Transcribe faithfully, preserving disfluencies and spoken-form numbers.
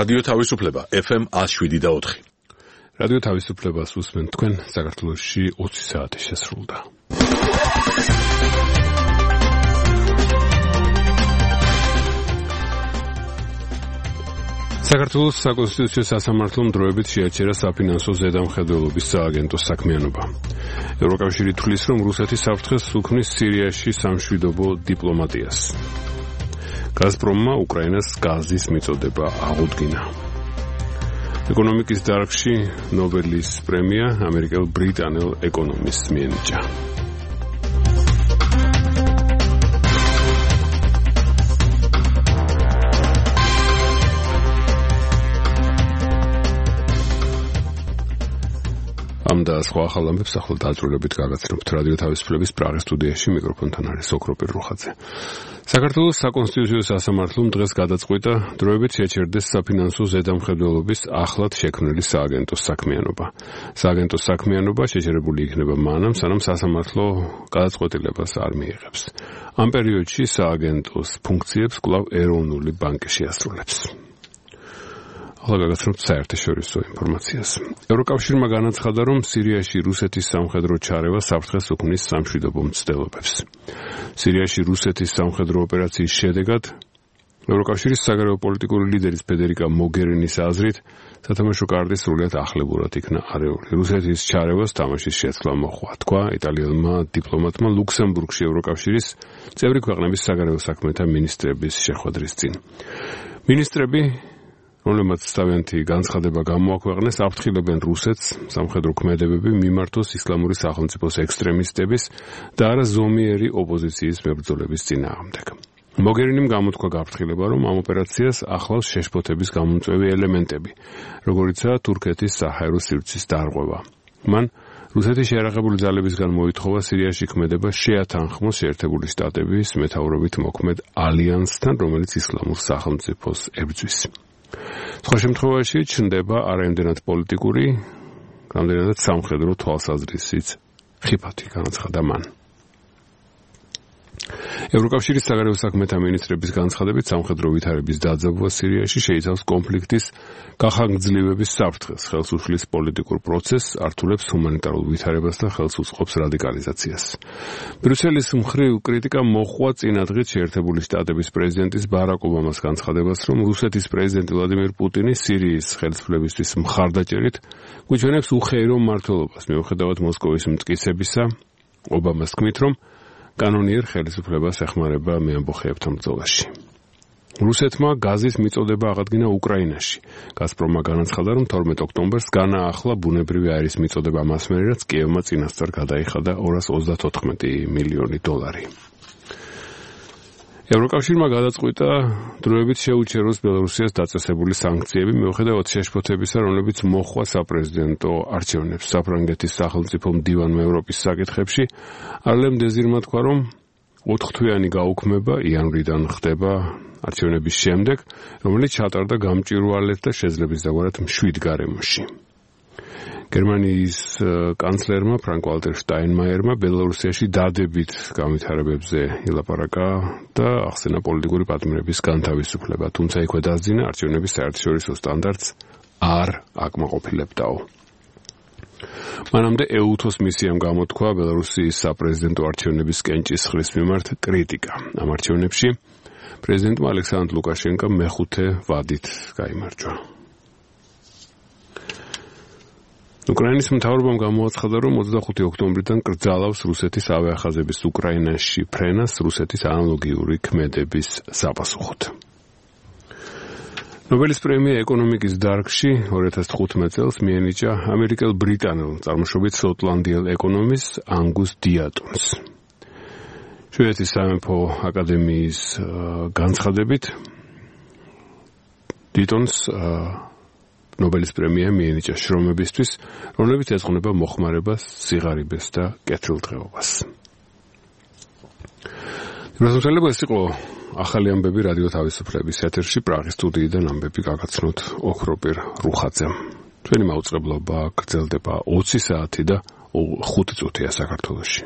რადიო თავისუფლება ეფ ემ one oh seven point four. რადიო თავისუფლებას უსმენთ თქვენ საქართველოში ოცი საათი შესრულდა. საქართველოს საკონსტიტუციო სასამართლომ დროებით შეაჩერა საფინანსო ზედამხედველობის სააგენტოს საქმიანობა. ევროკავშირი თვლის, რომ რუსეთი საფრთხეს უქმნის სირიაში სამშვიდობო დიპლომატიას. გაზპრომმა უკრაინას გაზის მიწოდება აღუდგინა. ეკონომიკის დარგში ნობელის პრემია ამერიკელ ბრიტანელ ეკონომისტს მიენიჭა. ამ და სხვა ახალ ამბებს ახლა დაძრულებით გაგაცნობთ რადიო თავისუფლების პრაღის სტუდიაში მიკროფონთან არის ოქროპირ რუხაძე. საქართველოს საკონსტიტუციო სასამართლომ დღეს გადაწყვიტა დროებით შეაჩერდეს საფინანსო ზედამხედველობის ახლად შექმნილი სააგენტოს საქმიანობა. სააგენტოს საქმიანობა შეჩერებული იქნება მანამ, სანამ სასამართლო გადაწყვეტილებას არ მიიღებს. ამ პერიოდში სააგენტოს ფუნქციებს კვლავ ეროვნული ბანკი შეასრულებს. ახლა გაგაცნობთ საერთაშორისო ინფორმაციას. ევროკავშირმა განაცხადა, რომ სირიაში რუსეთის სამხედრო ჩარევა საფრთხეს უქმნის სამშვიდობო მცდელობებს. სირიაში რუსეთის სამხედრო ოპერაციის შედეგად ევროკავშირის საგარეო პოლიტიკური ლიდერის ფედერიკა მოგერინის აზრით სათამაშო კარტი სრულიად ახლებურად იქნა არეული. რუსეთის ჩარევას თამაშის შეცვლა მოჰყვა, თქვა იტალიელმა დიპლომატმა ლუქსემბურგში ევროკავშირის წევრი ქვეყნების საგარეო საქმეთა მინისტრების შეხვედრის წინ. მინისტრები რომლებმაც თავიანთი განცხადება გამოაქვეყნეს, აფრთხილებენ რუსეთს, სამხედრო ქმედებები მიმართოს ისლამური სახელმწიფოს ექსტრემისტების და არა ზომიერი ოპოზიციის მებრძოლების წინააღმდეგ. მოგერინიმ გამოთქვა გაფრთხილება, რომ ამ ოპერაციას ახლავს შეშფოთების გამომწვევი ელემენტები, როგორიცაა თურქეთის საჰაერო სივრცის დარღვევა. მან რუსეთის შეიარაღებული ძალებისგან მოითხოვა სირიაში ქმედება შეათანხმოს შეერთებული შტატების მეთაურობით მოქმედ ალიანსთან, რომელიც ისლამურ სახელმწიფოს ებრძვის. სხვა შემთხვევაში ჩნდება არაიმდენად პოლიტიკური, რამდენადაც სამხედრო თვალსაზრისით ხიფათი, განაცხადა მან. ევროკავშირის საგარეო საქმეთა მინისტრების განცხადებით სამხედრო ვითარების დაძაბვა სირიაში შეიცავს კონფლიქტის გახანგრძლივების საფრთხეს, ხელს უშლის პოლიტიკურ პროცესს, ართულებს ჰუმანიტარულ ვითარებას და ხელს უწყობს რადიკალიზაციას. ბრიუსელის მხრივ კრიტიკა მოჰყვა წინადღით შეერთებული შტატების პრეზიდენტის ბარაკ ობამას განცხადებას, რომ რუსეთის პრეზიდენტი ვლადიმირ პუტინი სირიის ხელისუფლებისთვის მხარდაჭერით გვიჩვენებს უხეირო მმართველობას, მიუხედავად მოსკოვის მტკიცებისა. ობამას თქმით, რომ კანონიერ ხელისუფლებას ეხმარება მეამბოხეებთან ბრძოლაში. რუსეთმა გაზის მიწოდება აღადგინა უკრაინაში. გაზპრომმა განაცხადა, რომ თორმეტ ოქტომბერს განაახლა ბუნებრივი აირის მიწოდება მას მერე, რაც კიევმა წინასწარ გადაიხადა ორას ოცდათოთხმეტი მილიონი დოლარი. ევროკავშირმა გადაწყვიტა დროებით შეუჩეროს ბელორუსიას დაწესებული სანქციები, მიუხედავად შეშფოთებისა, რომლებიც მოჰყვა საპრეზიდენტო არჩევნებს. საფრანგეთის სახელმწიფო მდივანმა ევროპის საკითხებში არლემ დეზირმა თქვა, რომ ოთხთვიანი გაუქმება იანვრიდან ხდება არჩევნების შემდეგ, რომელიც ჩატარდა გამჭვირვალედ და შეძლების დაგვარად მშვიდ გარემოში. გერმანიის კანცლერმა ფრანკ-ვალტერ შტაინმაიერმა ბელორუსიაში დადებით განვითარებებზე ილაპარაკა და ახსენა პოლიტიკური პატიმრების განთავისუფლება, თუმცა იქვე დასძინა არჩევნების საერთაშორისო სტანდარტს არ აკმაყოფილებდაო. მანამდე ეუთოს მისიამ გამოთქვა ბელორუსიის საპრეზიდენტო არჩევნების კენჭისყრის მიმართ კრიტიკა. ამ არჩევნებში პრეზიდენტმა ალექსანდრ ლუკაშენკომ მეხუთე ვადით გაიმარჯვა. უკრაინის მთავრობამ გამოაცხადა, რომ ოცდახუთი ოქტომბრიდან კრძალავს რუსეთის ავიახაზების უკრაინაში ფრენას რუსეთის ანალოგიური ქმედების საპასუხოდ. ნობელის პრემია ეკონომიკის დარგში ორი ათას თხუთმეტ წელს მიენიჭა ამერიკელ ბრიტანელ წარმოშობით შოტლანდიელ ეკონომისტსანგუს დიატონს. შვედეთის სამეფო აკადემიის განცხადებით დიატონს ნობელის პრემია მიენიჭა შრომებისთვის, რომლებიც ეძღვნება მოხმარებას, სიღარიბეს და კეთილდღეობას. რასაძლოა ეს იყო ახალი ამბები რადიო თავისუფლების ეთერში პრაღის სტუდიიდან ამბები გაგაცნოთ ოქროპირ რუხაძემ. ჩვენი მაუწყებლობა გრძელდება ოცი საათი და ხუთი წუთია საქართველოში.